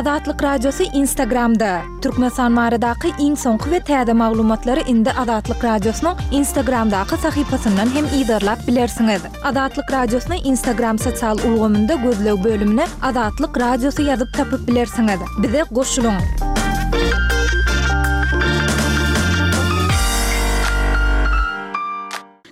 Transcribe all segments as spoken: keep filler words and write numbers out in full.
Azatlyk Radiosy Instagramda! Türkmenistan baradaky iň soňky we täze maglumatlary indi Azatlyk Radiosynyň Instagramdaky sahypasyndan hem yzarlap bilersiňiz. Azatlyk Radiosyny Instagram sosial ulgamynda gözleg bölümine Azatlyk Radiosy ýazyp tapyp bilersiňiz. Bize goşulyň!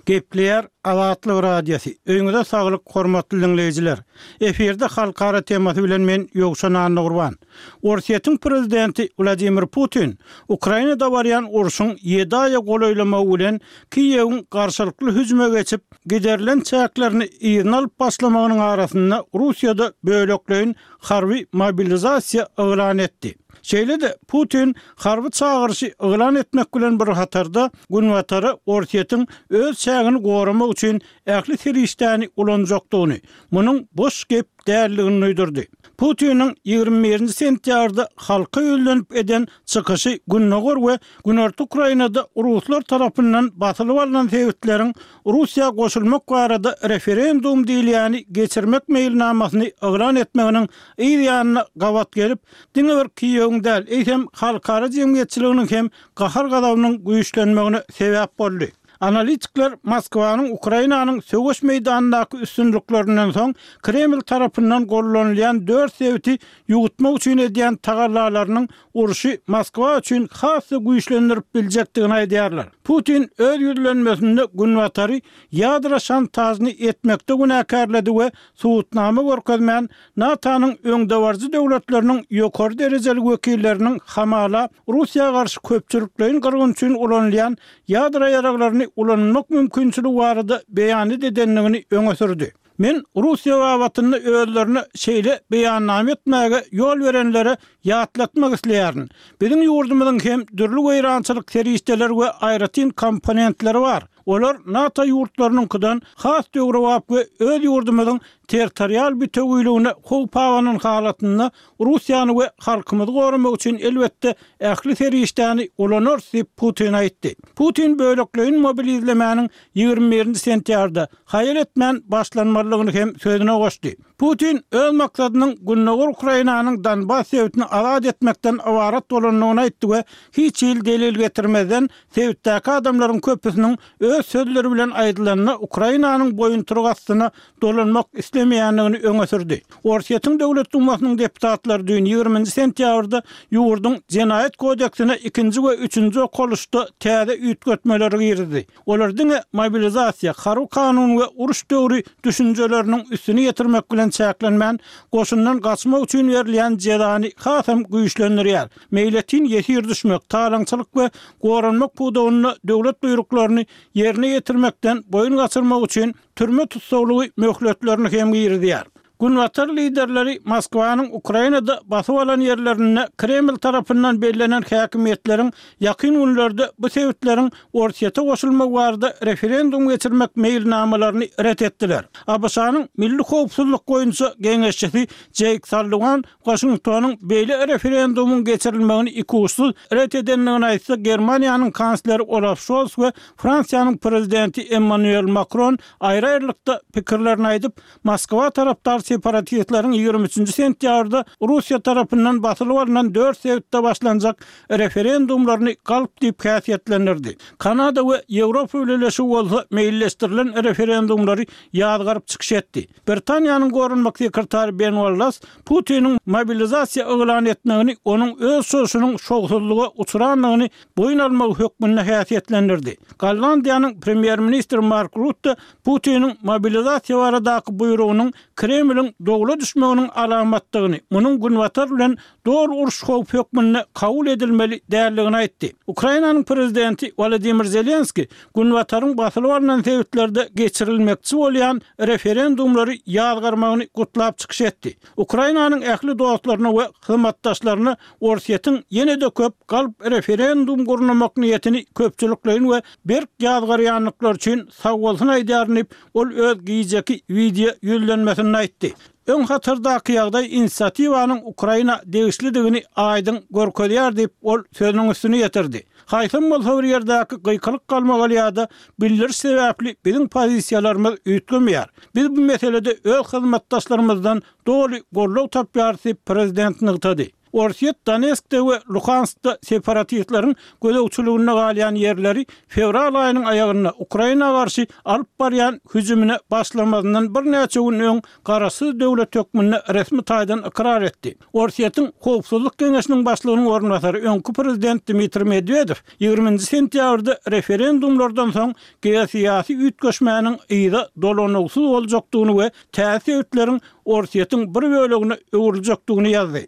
Gepleýär Azatlyk Radiosy. Öýüňize saglyk, hormatly diňleýjiler! Efirde halkara temasy bilen men Ýowşan Annagurban. Orsýetiň prezidenti Wladimir Putin Ukrainada barýan urşuň ýedi aýa golaýlamagy bilen Kiýewiň garşylykly hüjüme geçip, giderilen çäklerini yzyna alyp başlamagynyň arasynda Russiýada bölekleýin harby mobilizasiýa yglan etdi. Şeýle-de, Putin harby çagyryşy yglan etmek bilen bir hatarda, Günbatara Orsýetiň öz çägini goramak üçin ähli serişdäni ulanjakdygyny, munuň boş gep däldigini duýdurdy. Putiniň ýigrimi birinji sentýabrda halka ýüzlenip eden çykyşy gündogar we günorta Ukrainada ruslar tarapyndan basylyp alnan sebitleriň Russiýa goşulmak barada referendum diýilýäni geçirmek meýilnamasyny yglan etmeginiň yz ýanyna gabat gelip, diňe bir Kiýewiň däl, eýsem halkara jemgyýetçiliginiň hem gahar-gazabynyň güýçlenmegine sebäp boldy. Analitikler Moskwanyň Ukrainanyň söweş meýdanyndaky üstünliklerinden soň Kreml tarapyndan gollanylýan dört sebiti ýuwutmak üçin edýän tagallalarynyň urşy Moskwa üçin has-da güýçlendirip biljekdigini aýdýarlar. Putin öz ýüzlenmesinde Günbatary ýadro şantažyny etmekde günäkärledi we subutnama görkezmän, NATO-nyň öňdebaryjy döwletleriniň ýokary derejeli wekilleriniň hamala Russiýa garşy köpçülikleýin gyrgyn üçin ulanylýan ýadro ýaraglaryny ulanmak mümkinçiligi barada beýanat edendigini öňe sürdi. Men Russiýa babatynda özlerine şeýle beýannama etmäge ýol berenlere ýatlatmak isleýärin. Biziň ýurdumyzyň hem dürli weýrançylyk serişdeleri we aýratyn komponentleri bar. Olar NATO ýurtlarynyňkydan has döwrebap we öz ýurdumyzyň territorial bütewiligine howp abanan halatynda Russiýany we halkymyzy goramak üçin elbetde ähli serişdäni ulanarys diýip, Putin aýtdy. Putin bölekleýin mobilizlemäniň ýigrimi birinji sentýabrda, haýal etmän başlanmalydygyny hem sözüne goşdy. Putin öz maksadynyň gündogar Ukrainanyň Donbas sebitini azat etmekden ybarat bolandygyny aýtdy we hiç hili delil getirmezden sebitdäki adamlaryň köpüsiniň öz sözleri bilen aýdylanda Ukrainanyň boýuntyrygy astyna dolanmak islemeýändigini öňe sürdi. Orsýetiň Döwlet Dumasynyň deputatlary düýn ýigriminji sentýabrda ýurduň Jenaýat kodeksine ikinji we üçünji okalyşda täze üýtgetmeleri girizdi. Olar diňe mobilizasiýa, harby kanun we uruş döwri düşünjeleriniň üstüni ýetirmek bilen çäklenmän, goşundan gaçmak üçin berilýän jezany hasam güýçlendirýär. Meýletin ýesir düşmek, talaňçylyk we goranmak pudagynda döwlet buýruklaryny ýerine ýetirmekden boýun gaçyrmak üçin türme tussaglygy möhletlerini hem girizýär. Günbatar liderleri Moskwanyň Ukrainada basyp alan ýerlerinde Kreml tarapyndan bellenen häkimiýetleriň ýakyn günlerde bu sebitleriň Orsýete goşulmagy barada referendum geçirmek meýilnamalaryny ret etdiler. ABŞ-nyň Milli howpsuzlyk boýunça geňeşçisi Jeýk Salliwan Waşingtonyň beýle referendumyň geçirilmegini ikuçsuz ret edendigini aýtsa, Germaniýanyň kansleri Olaf Şols we Fransiýanyň prezidenti Emmanuel Makron aýry-aýrylykda pikirlerini aýdyp, Moskwa tarapdar separatistleriň ýigrimi üçünji sentýabrda Russiýa tarapyndan basylyp alnan dört sebitde başlanjak referendumlaryny galp diýip häsiýetlendirdi. Kanada we Ýewropa Bileleşigi bolsa meýilleşdirilen referendumlary ýazgaryp çykyş etdi. Britaniýanyň goranmak sekretary Ben Wallas Putiniň mobilizasiýa yglan etmegini onuň öz çozuşynyň şowsuzlyga uçrandygyny boýun almagy hökmünde häsiýetlendirdi. Gollandiýanyň premýer-ministri Mark Rutte Putiniň mobilizasiýa baradaky buýrugynyň Kremliň dowla düşmeginiň alamatdygyny, munuň Günbatar bilen doly uruş howpy hökmünde kabul edilmeli däldigini aýtdy. Ukrainanyň prezidenti Wolodymyr Zelenskiý Günbataryň basylyp alnan sebitlerde geçirilmekçi bolýan referendumlary ýazgarmagyny gutlap çykyş etdi. Ukrainanyň ähli dostlaryna we hyzmatdaşlaryna Orsýetiň ýene-de köp galp referendum gurnamak niýetini köpçülikleýin we berk ýazgarýandyklary üçin sagbolsun aýdýaryn diýip, ol öz gijeki wideo ýüzlenmesinde aýtdy. Öň hatardaky ýagdaý inisiatiwanyň Ukraina degişlidigini aýdyň görkezýär diýip, ol sözüniň üstüni ýetirdi. Haýsam bolsa bir ýerdäki gykylyk-galmagal ýa-da bildiriş sebäpli biziň pozisiýalarymyz üýtgemeýär. Biz bu meselede öz hyzmatdaşlarymyzdan doly goldaw tapýarys diýip, prezident nygtady. Orsýet Donetskde we Luhanskda separatistleriň gözegçiliginde galýan ýerleri fewral aýynyň aýagynda Ukraina garşy alyp barýan hüjümine başlamazyndan birnäçe gün öň garaşsyz döwlet hökmünde resmi taýdan ykrar etdi. Orsýetiň Howpsuzlyk geňeşiniň başlygynyň orunbasary, öňki prezident Dmitriý Medwedew ýigrimi nji sentýabrda referendumlardan soň geosyýasy üýtgeşmäniň yza dolanuwsyz boljakdygyny we täze sebitleriň Orsýetiň bir bölegine öwrüljekdigini ýazdy.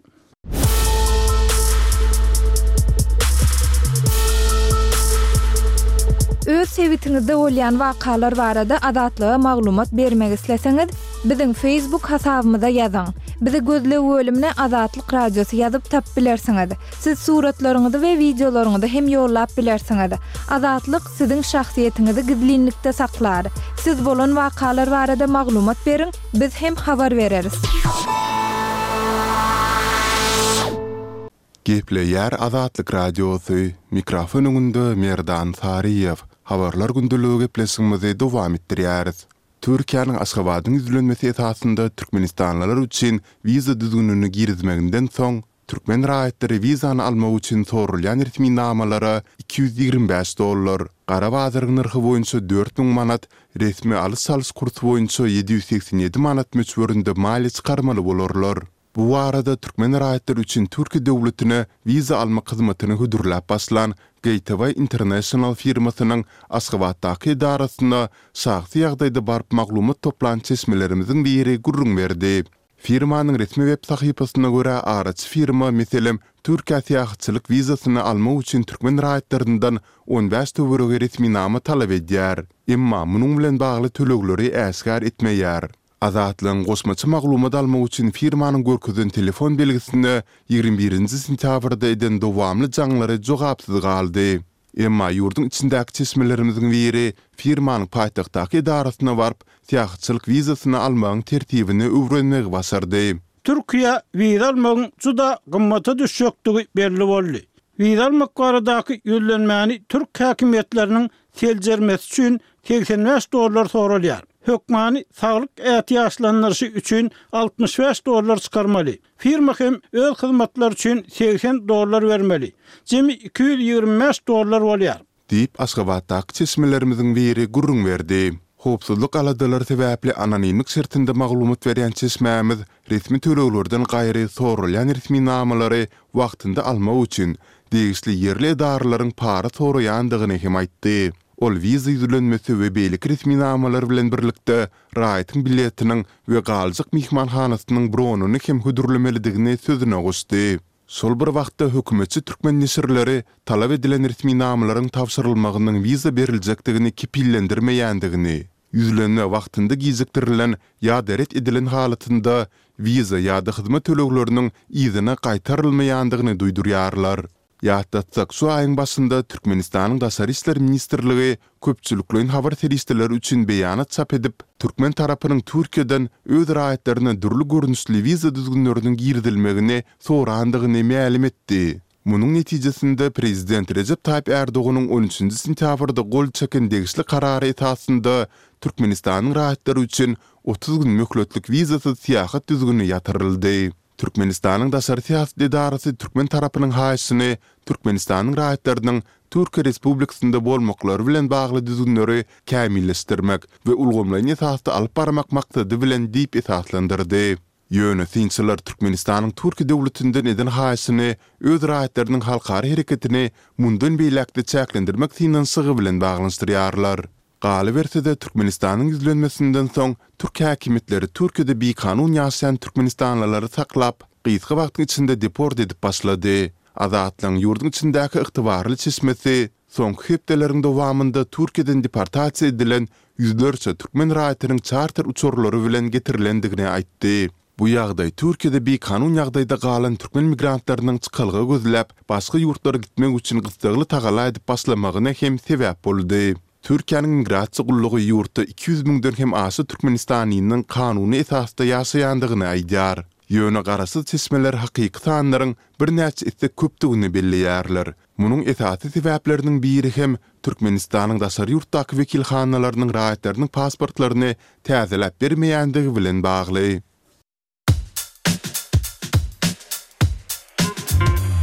Öz sebitiňizde bolýan wakalar barada Azatlyga maglumat bermek isleseňiz, biziň Facebook hasabymyza ýazyň. Bizi gözleg bölümine Azatlyk Radiosy ýazyp tapyp bilersiňiz. Siz suratlaryňyzy we wideolaryňyzy hem ýollap bilersiňiz. Azatlyk siziň şahsyýetiňizi gizlinlikde saklar. Siz bolan wakalar barada maglumat beriň, biz hem habar bereris. Gepleýär Azatlyk Radiosy, mikrofon öňünde Merdan Saryýew. Habarlar gündeligi gepleşigimizi dowam etdirýäris. Türkiýäniň Aşgabadyň ýüzlenmesi esasynda türkmenistanlylar üçin wiza düzgünini girizmeginden soň, türkmen raýatlary wizany almak üçin soralýan resminamalara iki ýüz ýigrimi bäş dollar, gara bazaryň nyrhy boýunça dört müň manat, resmi alyş-çalyş kursy boýunça ýedi ýüz segsen ýedi manat möçberinde maliýe çykarmaly bolarlar. Bu barada türkmen raýatlary üçin Türkiýe döwletine wiza almak hyzmatyny hödürläp başlan Gateway International firmasynyň Aşgabatdaky edarasyna şahsy ýagdaýda baryp maglumat toplan çeşmelerimiziň biri gürrüň berdi. Firmanyň resmi web sahypasyna görä, araçy firma, meselem, Türkiýä syýahatçylyk wizasyny almak üçin türkmen raýatlaryndan on bäş töweregi resminama talap edýär. Emma munuň bilen bagly tölegleri äşgär etmeýär. Azatlygyň goşmaça maglumat almak üçin firmanyň görkezen telefon belgisine ýigrimi birinji sentýabrda eden dowamly jaňlary jogapsyz galdy. Emma ýurduň içindäki çeşmelerimiziň biri firmanyň paýtagtdaky edarasyna baryp, syýahatçylyk wizasyny almagyň tertibini öwrenmegi başardy. Türkiýä wiza almagyň juda gymmata düşjekdigi belli boldy. Wiza almak baradaky ýüzlenmäni türk häkimiýetleriniň seljermesi üçin segsen bäş dollar soralýar. Hökmany saglyk ätiýaçlandyryşy üçin altmyş bäş dollar çykarmaly. Firma hem öz hyzmatlary üçin segsen dollar bermeli. Jemi iki ýüz ýigrimi bäş dollar bolýar. Diýip, Aşgabatdaky çeşmelerimiziň biri gürrüň berdi. Howpsuzlyk aladalary sebäpli anonimlik şertinde maglumat berýän çeşmämiz resmi töleglerden gaýry soralýan resminamalary wagtynda almak üçin degişli ýerli edaralaryň para soraýandygyny hem aýtdy. Ol wiza ýüzlenmesi we beýleki resminamalar bilen birlikde raýatyň biletiniň we galjak myhmanhanasynyň bronyny hem hödürlemelidigini sözüne goşdy. Şol bir wagtda hökümetçi türkmen neşirleri talap edilen resminamalaryň tabşyrylmagynyň wiza beriljekdigini kepillendirmeýändigini, ýüzlenme wagtynda gijikdirilen ýa-da ret edilen halatynda wiza ýa-da hyzmat tölegleriniň yzyna gaýtarylmaýandygyny duýdurýarlar. Ýatlatsak, şu aýyň başynda Türkmenistanyň Daşary işler ministrligi köpçülikleýin habar serişdeleri üçin beýanat çap edip, türkmen tarapynyň Türkiýeden öz raýatlaryna dürli görnüşli wiza düzgünleriniň girizilmegini sorandygyny mälim etdi. Munuň netijesinde prezident Rejep Taýyp Ärdoganyň on üçünji sentýabrda gol çeken degişli karary esasynda Türkmenistanyň raýatlary üçin otuz gün möhletlik wizasyz syýahat düzgüni ýatyryldy. Türkmenistanyň daşary syýasat edarasy türkmen tarapynyň haýyşyny Türkmenistanyň raýatlarynyň Türkiýe Respublikasynda bolmaklary bilen bagly düzgünleri kämilleşdirmek we ulgamlaýyn esasda alyp barmak maksady bilen diýip esaslandyrdy. Ýöne synçylar Türkmenistanyň Türkiýe döwletinden eden haýyşyny öz raýatlarynyň halkara hereketini mundan beýläk-de çäklendirmek synanyşygy bilen baglanyşdyrýarlar. Galyberse-de, Türkmenistanyň ýüzlenmesinden soň, türk häkimiýetleri Türkiýede bikanun ýaşaýan türkmenistanlylary saklap, gysga wagtyň içinde deport edip başlady. Azatlygyň ýurduň içindäki ygtybarly çeşmesi soňky hepdeleriň dowamynda Türkiýeden deportasiýa edilen ýüzlerçe türkmen raýatynyň çarter uçarlary bilen getirilendigini aýtdy. Bu ýagdaý Türkiýede bikanun ýagdaýda galan türkmen migrantlarynyň çykalga gözläp, başga ýurtlara gitmek üçin gyssagly tagalla edip başlamagyna hem sebäp boldy. Türkiýäniň migrasiýa gullugy ýurtda iki ýüz müňden hem aşa türkmenistanlynyň kanuny esasda ýaşaýandygyny aýdýar. Ýöne garaşsyz çeşmeler hakyky sanlaryň birnäçe esse köpdügini belleýärler. Munuň esasy sebäpleriniň biri hem Türkmenistanyň daşary ýurtdaky wekilhanalarynyň raýatlarynyň pasportlaryny täzeläp bermeýändigi bilen bagly.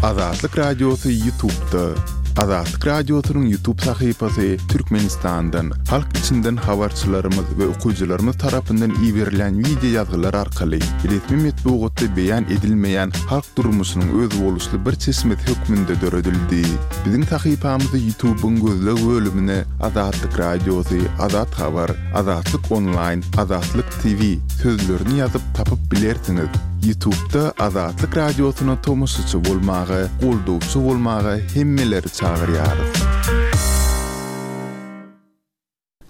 Azatlyk Radiosy YouTube'da. Azatlyk Radiosynyň YouTube sahypasy Türkmenistandan, halk içinden habarçylarymyz we okyjylarymyz tarapyndan iberilen wideo ýazgylar arkaly resmi metbugatda beýan edilmeýän halk durmuşynyň özboluşly bir çeşmesi hökmünde döredildi. Biziň sahypamyzy YouTube'yň gözleg bölümine Azatlyk Radiosy, Azat Habar, Azatlyk Online, Azatlyk T V sözlerini ýazyp tapyp bilersiňiz. YouTube'da Azatlyk Radiosyna tomaşaçy bolmaga, goldawçy bolmaga hemmeleri çagyrýarys.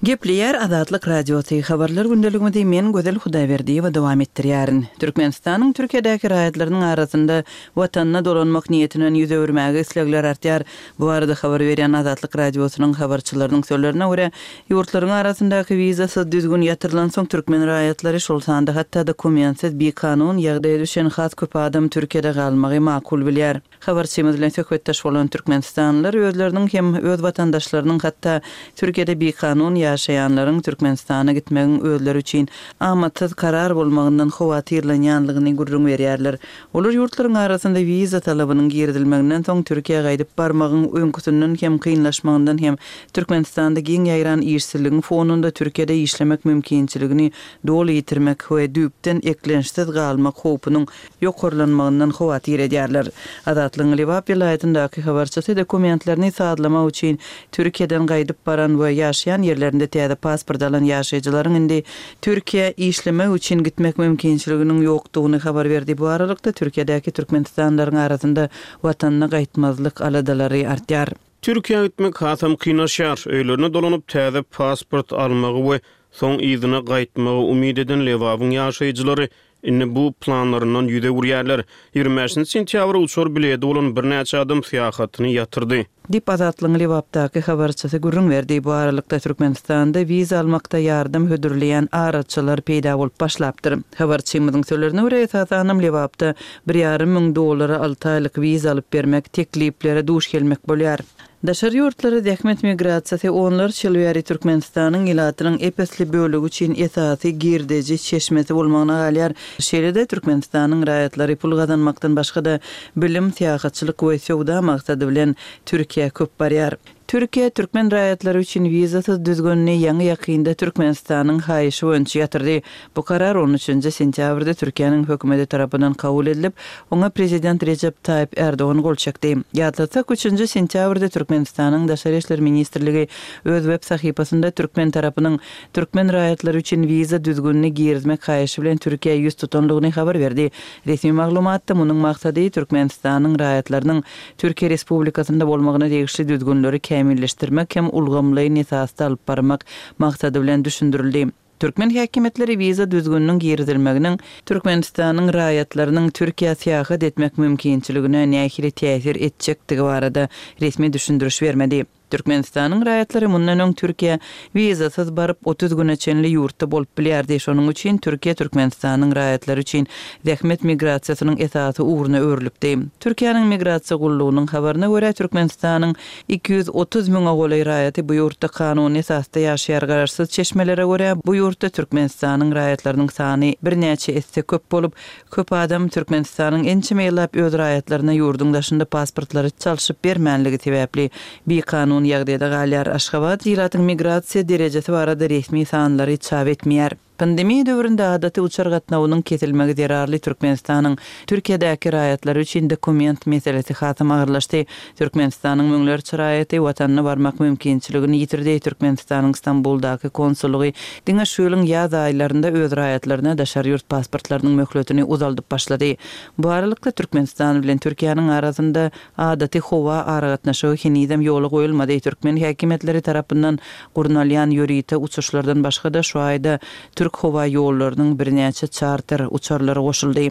Gepleýär Azatlyk Radiosy, habarlar gündeligimizi men Gözel Hudaýberdiýewa dowam etdirýärin. Türkmenistanyň Türkiýedäki raýatlarynyň arasynda watanyna dolanmak niýetinden ýüz öwürmäge islegler artýar. Bu barada habar berýän Azatlyk Radiosynyň habarçylarynyň sözlerine görä, ýurtlaryň arasyndaky wizasyz düzgün ýatyrylansoň türkmen raýatlary, şol sanda hatda dokumentsiz bikanun ýagdaýa düşen has köp adam Türkiýede galmagy makul bilýär. Habarçymyz bilen söhbetdeş bolan türkmenistanlylar özleriniň hem öz watandaşlarynyň, hatda Türkiýede bikanun ýaşaýanlaryň Türkmenistana gitmegiň özleri üçin amatsyz karar bolmagyndan howatyrlanýanlygyny gürrüň berýärler. Olar ýurtlaryň arasynda wiza talabynyň girizilmeginden soň Türkiýä gaýdyp barmagyň öňküsinden hem kynlaşmagyndan hem Türkmenistanda giň ýaýran işsizligiň fonunda Türkiýede işlemek mümkinçiligini doly ýitirmek we düýpden eklençsiz galmak howpunyň ýokarlanmagyndan howatyr edýärler. Azatlygyň Lebap welaýatyndaky habarçysy dokumentlerini sazlamak üçin Türkiýeden gaýdyp baran we ýaşaýan ýerlerinde täze pasport alan ýaşaýjylaryň indi Türkiýä işlemek üçin gitmek mümkinçiliginiň ýokdugyny habar berdi. Bu aralykda Türkiýedäki türkmenistanlylaryň arasynda watanyna gaýtmazlyk aladalary artýar. Türkiýä gitmek hasam kynlaşýar. Öýlerine dolanyp täze pasport almagy we soň yzyna gaýtmagy umyt eden Lebabyň ýaşaýjylary indi bu planlaryndan ýüz öwürýärler. ýigrimi bäşinji sentýabr uçar bileti bolan birnäçe adam syýahatyny ýatyrdy. Diýip Azatlygyň Lebapdaky habarçysy gürrüň berdi. Bu aralykda Türkmenistanda wiza almakda ýardam hödürleýän araçylar peýda bolup başlapdyr. Habarçymyzyň sözlerine görä, esasanam Lebapda bir ýarym müň dollara alty aýlyk wiza alyp bermek tekliplere duş gelmek bolýar. Daşary ýurtlara zähmet migrasiýasy onlarça ýyl bäri Türkmenistanyň ilatynyň ep-esli bölegi üçin esasy girdeji çeşmesi bolmagyna galýar. Şeýle-de Türkmenistanyň raýatlary pul gazanmakdan başga-da bilim, syýahatçylyk we söwda maksady bilen Türkiýä köp barýar. Türkiýe türkmen raýatlary üçin wizasyz düzgünini ýaňy ýakynda Türkmenistanyň haýyşy boýunça ýatyrdy. Bu karar on üçünji sentýabrda Türkiýäniň hökümeti tarapyndan kabul edilip, oňa prezident Rejep Taýyp Erdogan gol çekdi. Ýatlatsak, üçünji sentýabrda Türkmenistanyň Daşary işler ministrligi öz web sahypasynda türkmen tarapynyň türkmen raýatlary üçin wiza düzgünini girizmek haýyşy bilen Türkiýä ýüz tutanlygyny habar berdi. Resmi maglumatda munuň maksady Türkmenistanyň raýatlarynyň Türkiýe Respublikasynda bolmagyna degişli düzgünleri kämilleşdirmek hem ulgamlaýyn esasda alyp barmak maksady bilen düşündirildi. Türkmen häkimiýetleri wiza düzgüniniň girizilmeginiň Türkmenistanyň raýatlarynyň Türkiýä syýahat etmek mümkinçiligine nähili täsir etjekdigi barada resmi düşündiriş bermedi. Türkmenistanyň raýatlary mundan öň Türkiýä wizasyz baryp otuz güne çenli ýurtda bolup bilýärdi. Şonuň üçin Türkiýe Türkmenistanyň raýatlary üçin zähmet migrasiýasynyň esasy ugruna öwrülipdi. Türkiýäniň migrasiýa gullugynyň habaryna görä, Türkmenistanyň iki ýüz otuz müňe golaý raýaty bu ýurtda kanuny esasda ýaşaýar. Garaşsyz çeşmelere görä, bu ýurtda Türkmenistanyň raýatlarynyň sany birnäçe esse köp bolup, köp adam Türkmenistanyň ençeme ýyllap öz raýatlaryna ýurduň daşynda pasportlary çalşyp bermänligi sebäpli bikanun ýagdaýda galýar. Aşgabat ilatyň migrasiýa derejesi barada resmi sanlary çap etmeýär. Pandemiýa döwründe adaty uçar gatnawynyň kesilmegi zerarly Türkmenistanyň Türkiýedäki raýatlary üçin dokument meselesi hasam agyrlaşdy. Türkmenistanyň müňlerçe raýaty watanyna barmak mümkinçiligini ýitirdi. Türkmenistanyň Stambuldaky konsullygy diňe şu ýylyň ýaz aýlarynda öz raýatlaryna daşary ýurt pasportlarynyň möhletini uzaldyp başlady. Bu aralykda Türkmenistan bilen Türkiýäniň arasynda adaty howa aragatnaşygy henizem ýola goýulmady. Türkmen häkimiýetleri tarapyndan gurnalýan ýörite uçuşlardan başga-da şu aýda Türk howa ýollarynyň birnäçe çarter uçarlary goşuldy.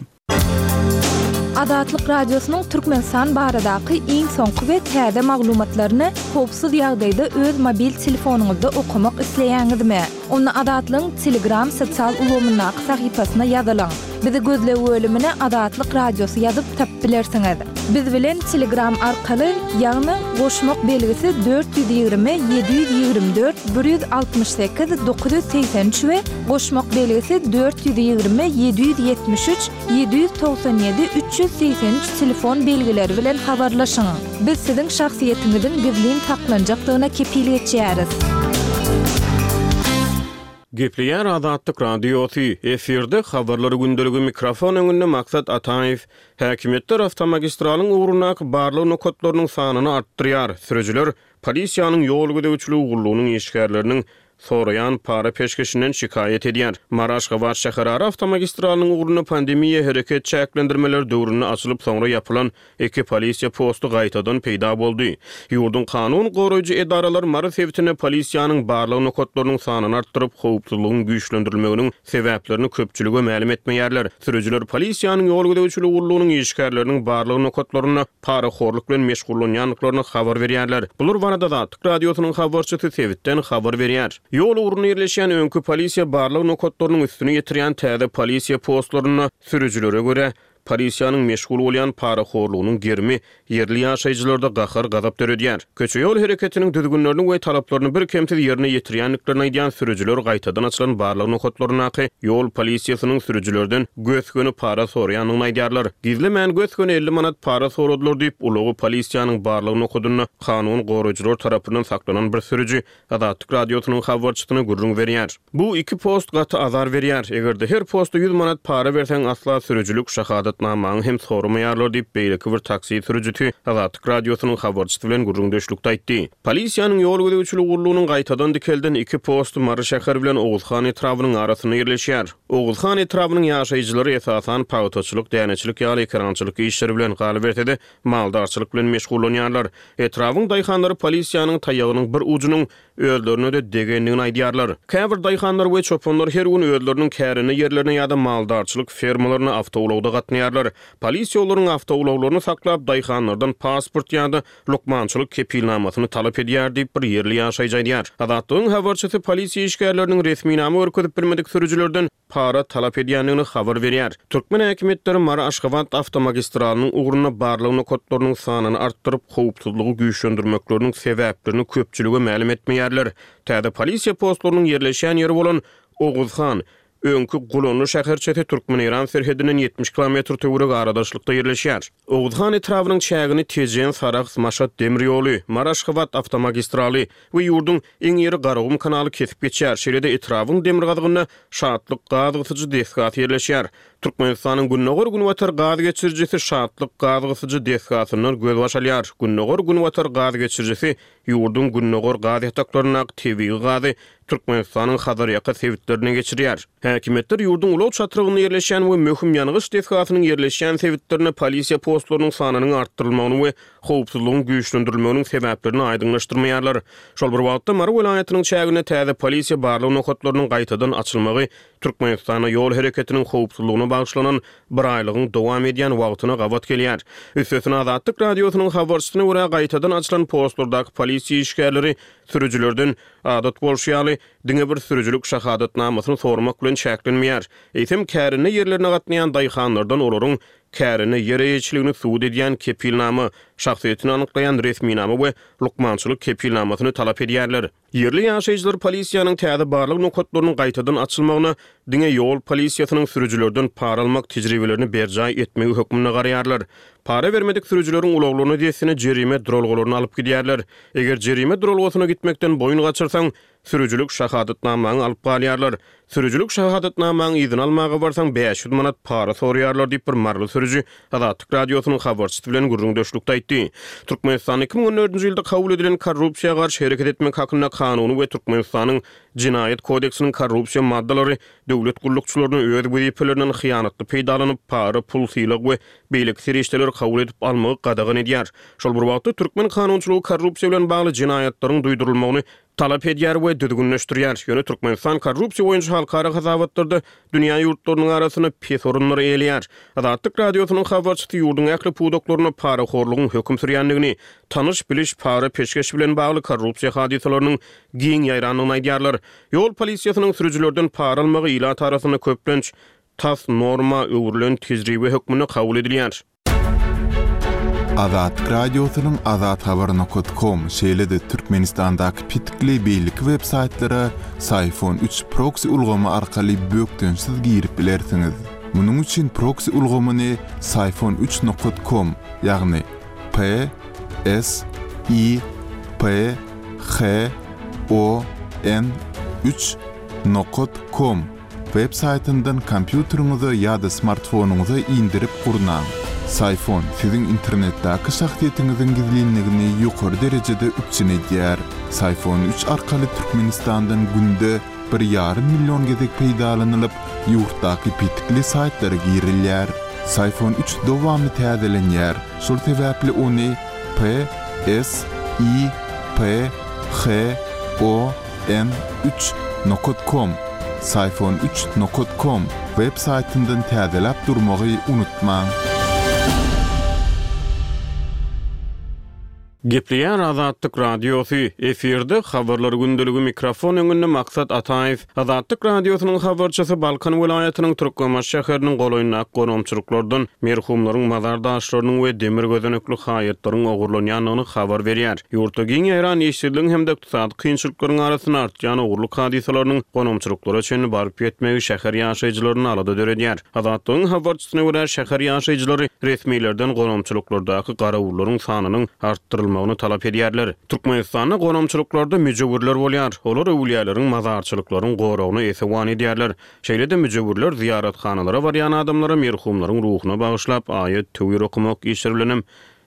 Azatlyk Radiosynyň Türkmenistan baradaky iň soňky we täze maglumatlaryny howpsuz ýagdaýda öz mobil telefonyňyzda okamak isleýäňizmi? Onda Azatlygyň Telegram sosial ulgamyndaky sahypasyna ýazylyň. Bizi gözleg bölümine Azatlyk Radiosy ýazyp tapyp bilersiňiz. Biz bilen Telegram arkaly, ýagny goşmak belgisi dört ýüz ýigrimi ýedi ýüz ýigrimi dört bir ýüz altmyş sekiz dokuz ýüz segsen üç we goşmak belgisi dört ýüz ýigrimi ýedi ýüz ýetmiş üç ýedi ýüz togsan ýedi üç ýüz segsen üç telefon belgileri bilen habarlaşyň. Biz siziň şahsyýetiňiziň gizlin saklanjakdygyna kepil geçýäris. Gepleýär Azatlyk Radiosy, efirde Habarlar gündeligi mikrofon öňünde Maksat Ataýew. Häkimiýetler awtomagistralyň ugrundaky barlag nokatlarynyň sanyny artdyrýar. Sürüjiler polisiýanyň ýol gözegçiligi gullugynyň işgärleriniň soraýan para-peşgeşinden şikaýat edýär. Mary-Aşgabat şäherara awtomagistralynyň ugrunda pandemiýa hereket çäklendirmeleri döwründe açylyp, soňra ýapylan iki polisiýa posty gaýtadan peýda boldy. Ýurduň kanun goraýjy edaralary Mary sebitinde polisiýanyň barlag nokatlarynyň sanyny artdyryp, howpsuzlygyň güýçlendirilmeginiň sebäplerini köpçülige mälim etmeýärler. Sürüjiler polisiýanyň ýol gözegçiligi gullugynyň işgärleriniň barlag nokatlarynda parahorluk bilen meşgullanýandyklaryny habar berýärler. Bular barada Azatlyk Radiosynyň habarçysy sebitden habar berýär. Ýol ugrunda ýerleşýän öňki polisiýa barlag nokatlarynyň üstüni ýetirýän täze polisiýa postlarynda sürüjilere görä, polisiýanyň meşgul bolýan parahorlugynyň gerimi ýerli ýaşaýjylarda gahar-gazap döredýär. Köçe-ýol hereketiniň düzgünlerini we talaplaryny birkemsiz ýerine ýetirýändiklerini aýdýan sürüjiler gaýtadan açylan barlag nokatlaryndaky ýol polisiýasynyň sürüjilerden gös-göni para soraýandygyny aýdýarlar. Gizlemän gös-göni elli manat para soradylar diýip, ulagy polisiýanyň barlag nokadynda kanun goraýjylar tarapyndan saklanan bir sürüji Azatlyk Radiosynyň habarçysyna gürrüň berýär. Bu iki post gaty azar berýär. Eger-de her posta ýüz manat para berseň, asla sürüjilik şahadatnamaňy hem soramaýarlar diýip, beýleki bir taksi sürüjisi Azatlyk Radiosynyň habarçysy bilen gürrüňdeşlikde aýtdy. Polisiýanyň ýol gözegçiligi gullugynyň gaýtadan dikelden iki posty Mary şäheri bilen Oguzhan etrabynyň arasynda ýerleşýär. Oguzhan etrabynyň ýaşaýjylary esasan pagtaçylyk, däneçilik ýaly ekerançylyk işleri bilen, galyberse-de, maldarçylyk bilen meşgullanýarlar. Etrabyň daýhanlary polisiýanyň taýagynyň bir ujunyň özlerine-de degendigini aýdýarlar. Käbir daýhanlar we çopanlar her gün özleriniň kärende ýerlerine ýa-da maldarçylyk fermalaryna awtoulagda gatnaýarlar. Polisiýa olaryň awtoulaglaryny saklap, daýhanlardan pasport ýa-da lukmançylyk kepilnamasyny talap edýär diýip, bir ýerli ýaşaýjy aýdýar. Azatlygyň habarçysy polisiýa işgärleriniň resminama görkezip bilmedik sürüjilerden para talap edýändigini habar berýär. Türkmen häkimiýetleri Mary-Aşgabat awtomagistralynyň ugrunda barlag nokatlarynyň sanyny artdyryp, howpsuzlygy güýçlendirmekleriniň sebäplerini köpçülige mälim etmeýärler. Täze polisiýa postlarynyň ýerleşýän ýeri bolan Oguzhan, öňki Gulanly şäherçesi Türkmen-Eýran serhedinden ýetmiş kilometr töweregi aradaşlykda ýerleşýär. Oguzhan etrabynyň çägini Tejen, Sarahs, Maşat demir ýoly, Mary-Aşgabat awtomagistraly we ýurduň iň iri Garagum kanaly kesip geçýär. Şeýle-de etrabyň demirgazygynda Şatlyk gaz gysyjy desgasy ýerleşýär. Türkmenistanyň Gündogar-Günbatar gaz geçirijisi Şatlyk gaz gysyjy desgasyndan gözbaş alýar. Gündogar-Günbatar gaz geçirijisi ýurduň gündogar gaz ýataklaryndaky tebigy gazy Türkmenistanyň Hazarýaka sebitlerine geçirýär. Häkimiýetler ýurduň ulag çatrygynda ýerleşýän we möhüm ýangyç desgasynyň ýerleşýän sebitlerinde polisiýa postlarynyň sanynyň artdyrylmagyny we howpsuzlygyň güýçlendirilmeginiň sebäplerini aýdyňlaşdyrmaýarlar. Şol bir wagtda Mary welaýatynyň çäginde täze polisiýa barlag nokatlarynyň gaýtadan açylmagy Türkmenistanda ýol hereketiniň howpsuzlygyna bagyşlanan biraýlygyň dowam edýän wagtyna gabat gelýär. Üstesine Azatlyk Radiosynyň habarçysyna görä, gaýtadan açylan postlardaky polisiýa işgärleri sürüjilerden adat bolşy ýaly diňe bir sürüjilik şahadatnamasyny sormak bilen çäklenmeýär. Eýsem, kärende ýerlerine gatnaýan daýhanlardan olaryň kärende ýer eýeçiligini subut edýän kepilnama, şahsyýetini anyklaýan resminama we lukmançylyk kepilnamasyny talap edýärler. Ýerli ýaşaýjylar polisiýanyň täze barlag nokatlarynyň gaýtadan açylmagyna diňe ýol polisiýasynyň sürüjilerden para almak tejribelerini berjaý etmegi hökmünde garaýarlar. Para bermedik sürüjileriň ulaglaryny dessine jerime duralgalaryna alyp gidýärler. Eger jerime duralgasyna gitmekden boýun gaçyrsaň, sürüjilik şahadatnamaňy alyp galýarlar. Sürüjilik şahadatnamaňy yzyna almaga barsaň, bäş ýüz manat para soraýarlar diýip, bir maryly sürüji Azatlyk Radiosynyň habarçysy bilen gürrüňdeşlikde aýtdy. Türkmenistanda iki müň on dördünji ýylda kabul edilen Korrupsiýa garşy hereket etmek hakynda kanuny we Türkmenistanyň Jenaýat kodeksiniň korrupsiýa maddalary döwlet gullukçylaryna öz wezipelerinden hyýanatly peýdalanyp, para, pul, sylag we beýleki serişdeleri kabul edip almagy gadagan edýär. Şol bir wagtda, türkmen kanunçylygy korrupsiýa bilen bagly jenaýatlaryň duýdurylmagyny talap edýär we düzgünleşdirýär. Ýöne Türkmenistan korrupsiýa boýunça halkara hasabatlarda dünýä ýurtlarynyň arasynda pes orunlary eýeleýär. Azatlyk Radiosynyň habarçysy ýurduň ähli pudaklarynda parahorlugyň höküm sürýändigini, tanyş-biliş para-peşgeş bilen bagly korrupsiýa hadysalarynyň giň ýaýrandygyny aýdýarlar. Ýol polisiýasynyň sürüjilerden para almagy ilat arasynda köplenç tas norma öwrülen tejribe hökmünde kabul edilýär. Azatlyk Radiosynyň azathabar nokat kom, şeýle-de Türkmenistandaky petikli beýleki web saýtlara Syfon üç proksi ulgamy arkaly bökdençsiz girip bilersiňiz. Munuň üçin proksi ulgamyny Syfon üç nokat kom, ýagny P S I P H O N üç nokat kom web saýtyndan kompýuteriňize ýa-da smartfonyňyza indirip gurnaň. Syfon siziň internetdäki şahsyýetiňiziň gizlinligini ýokary derejede üpjün edýär. Syfon üç arkaly Türkmenistandan günde bir ýarym million gezek peýdalanylyp, ýurtdaky petikli saýtlara girilýär. Syfon üç dowamly täzelenýär, şol sebäpli ony P S I P H O N üç nokat kom, Syfon üç nokat kom web saýtyndan täzeläp durmagy unutmaň. Gepleýär Azatlyk Radiosy, efirde habarlar gündeligi mikrofon öňünde Maksat Ataýew. Azatlyk Radiosynyň habarçysy Balkan welaýatynyň Türkmenbaşy şäheriniň golaýyndaky gonamçylyklardan merhumlaryň mazar daşlarynyň we demir gözenekli haýatlaryň ogurlanýandygyny habar berýär. Ýurtda giň ýaýran işsizligiň hem-de ykdysady kynçylyklaryň arasynda artýan ogurlyk hadysalarynyň gonamçylyklara çenli baryp ýetmegi şäher ýaşaýjylaryny alada döredýär. Azatlygyň habarçysyna görä şäher ýaşaýjylary resmilerden gonamçylyklardaky garawullaryň sanynyň artdyrylmagyny talap edýärler. Türkmenistanda gonamçylyklarda müjewürler bolýar. Olar öwülýäleriň mazarçylyklaryň goragyna esewan edýärler. Şeýle-de müjewürler ziýarathanalara barýan adamlara merhumlaryň ruhuna bagyşlap aýat töwir okumak işleri bilen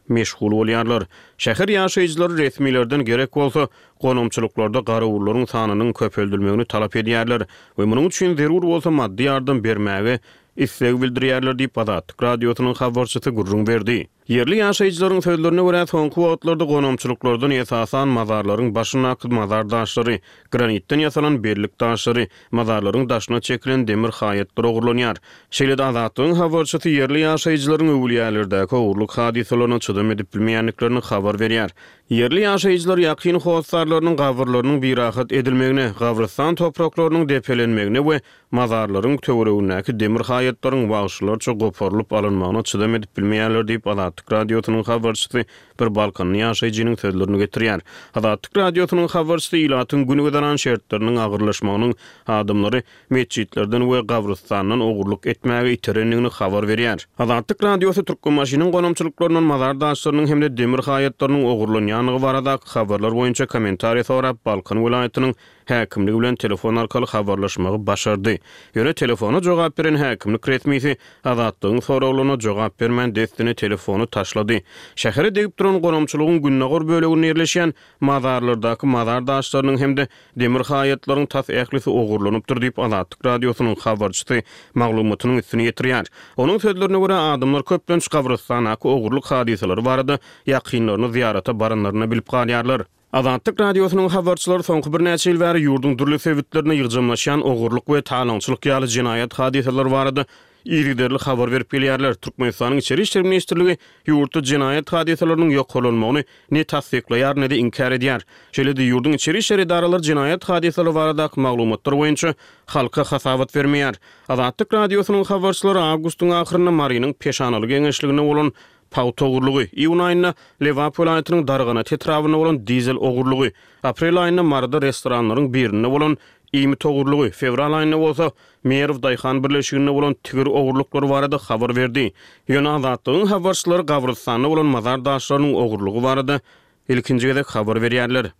meşgul bolýarlar. Şäher ýaşaýjylary resmilerden gerek bolsa gonamçylyklarda garawullaryň sanynyň köpeldilmegini talap edýärler we munuň üçin zerur bolsa maddy ýardam bermäge isleg bildirýärler diýip Azatlyk Radiosynyň habarçysy gürrüň berdi. Ýerli ýaşaýjylaryň sözlerine görä soňky wagtlarda gonamçylyklardan esasan mazarlaryň başyndaky mazar daşlary, granitden ýasalan bellik daşlary, mazarlaryň daşyna çekilen demir haýatlar ogurlanýar. Şeýle-de Azatlygyň habarçysy ýerli ýaşaýjylaryň öwülýälerdäki ogurlyk hadysalaryna çydam edip bilmeýändiklerini habar berýär. Ýerli ýaşaýjylar ýakyn hossarlarynyň gabyrlarynyň birahat edilmegine, gabrystan topraklarynyň depelenmegine we mazarlaryň töweregindäki demir haýatlaryň wagşylarça goparylyp alynmagyna çydam edip bilmeýärler diýip Azatlyk Radiosynyň habarçysy bir Balkanly ýaşaýjynyň sözlerini getirýär. Azatlyk Radiosynyň habarçysy ilatyň gün güzeran şertleriniň agyrlaşmagynyň adamlary metjitlerden we gabrystandan ogurlyk etmäge iterendigini habar berýär. Azatlyk Radiosy Türkmenbaşynyň gonamçylyklaryndan mazar daşlarynyň hem-de demir haýatlarynyň ogurlanýandygy baradaky habarlar boýunça kommentariýa sorap Balkan welaýatynyň häkimligi bilen telefon arkaly habarlaşmagy başardy. Ýöne telefona jogap beren häkimlik resmisi Azatlygyň soraglaryna jogap bermän dessine telefony taşlady. Şähere degip duran gonamçylygyň gündogar böleginde ýerleşýän mazarlardaky mazar daşlarynyň hem-de demir haýatlaryň tas ählisi ogurlanypdyr diýip Azatlyk Radiosynyň habarçysy maglumatynyň üstüni ýetirýär. Onuň sözlerine görä adamlar köplenç gabrystandaky ogurlyk hadysalary barada ýakynlaryny ziýarata baranlaryny bilip galýarlar. Azatlyk Radiosynyň habarçylary soňky birnäçe ýyl bäri ýurduň dürli sebitlerine ýygjamlaşýan ogurlyk we talaňçylyk ýaly jenaýat hadysalary barada yzygiderli habar berip gelýärler. Türkmenistanyň Içeri İşler Ministrligi ýurtda jenaýat hadysalarynyň ýokarlanmagyny ne tassyklaýar, ne-de inkär edýär. Şeýle-de ýurduň içeri işler edaralary jenaýat hadysalary baradaky maglumatlar boýunça halka hasabat bermeýär. Azatlyk Radiosynyň habarçylary awgustyň ahyrynda Marynyň Peşanaly geňeşliginde bolan pagta ogurlygy, iýun aýynda Lebap welaýatynyň Darganat etrabynda bolan dizel ogurlygy, aprel aýynda Maryda restoranlaryň birinde bolan iýmit ogurlygy, fewral aýynda bolsa Merw Daýhan birleşiginde bolan tigir ogurlyklary barada habar berdi. Ýöne Azatlygyň habarçylary gabrystanda bolan mazar daşlarynyň ogurlygy barada ilkinji gezek habar berýärler.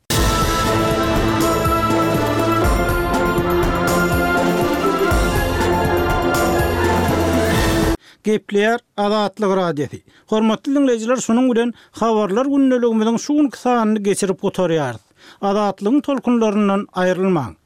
Gepleýär Azatlyk Radiosy. Hormatly dinleýjiler, şunuň bilen habarlar gündeligimiziň şu günki sanyny geçirip gutarýarys. Azatlygyň tolkunlaryndan aýrylmaň.